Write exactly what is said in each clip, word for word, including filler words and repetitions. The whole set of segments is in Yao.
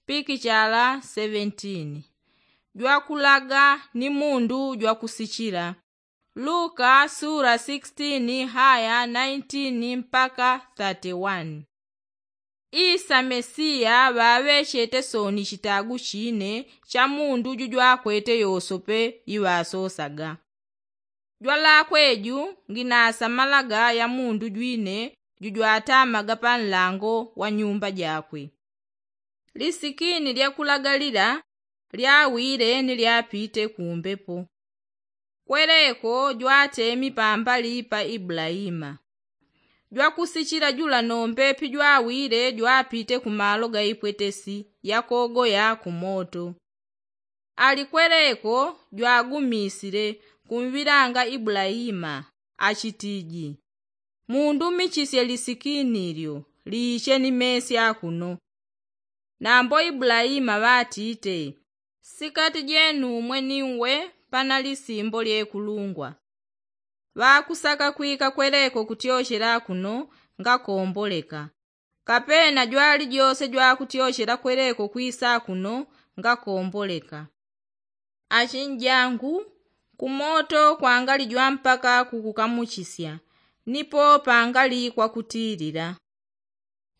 pikichala seventeen. Jwakulaga ni mundu jwakusichila. Luka sura sixteen haya nineteen mpaka thirty-one. Isa mesiya ŵaŵechete sooni chitagu chine cha mundu jujwakwete yosope iŵasosaga. Jwalakwe ju nginasamalaga ya mundu jwine jujwatamaga pa nlango wa nyumba jakwe. Lisikini lyakulaga lila lyawile ni lyapite kumbepo. Kweleko jwatemi pambali pa ibulaima. Jwakusichila jula nombe pijwawile jwapite kumalo gaipwetesi yakogoya kumoto. Ali kweleko jwagumisile kumwilanga ibulaima, achitiji, mundumichisye lisikini lyo liiche ni mesi akuno. Nambo ibulaima ŵatite, sikati jenumwe ni uwe pana lisimbo lyekulungwa. Ŵakusaka kwika kweleko kutyochela akuno ngakomboleka. Kapena jwali jose jwakutyochela kweleko kwisa akuno ngakomboleka. Achinjangu, kumoto kwangali jwampaka kukukamuchisya, nipo pangali kwakutilila.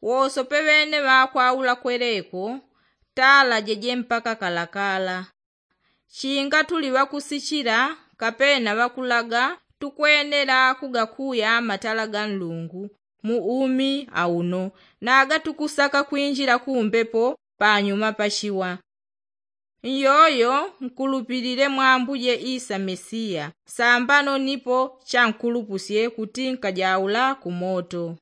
Wosope ŵene ŵakwaula kweleko talajeje mpaka kalakala. Chinga tuli ŵakusichila kapena ŵakulaga tukwenela kugakuya matala ga nlungu mu umi auno, naga tukusaka kwinjila kumbepo panyuma pa chiwa. Nyoyo nkulupilile mwa ambuje isa mesiya sambano nipo chankulupusye kuti nkajaula kumoto.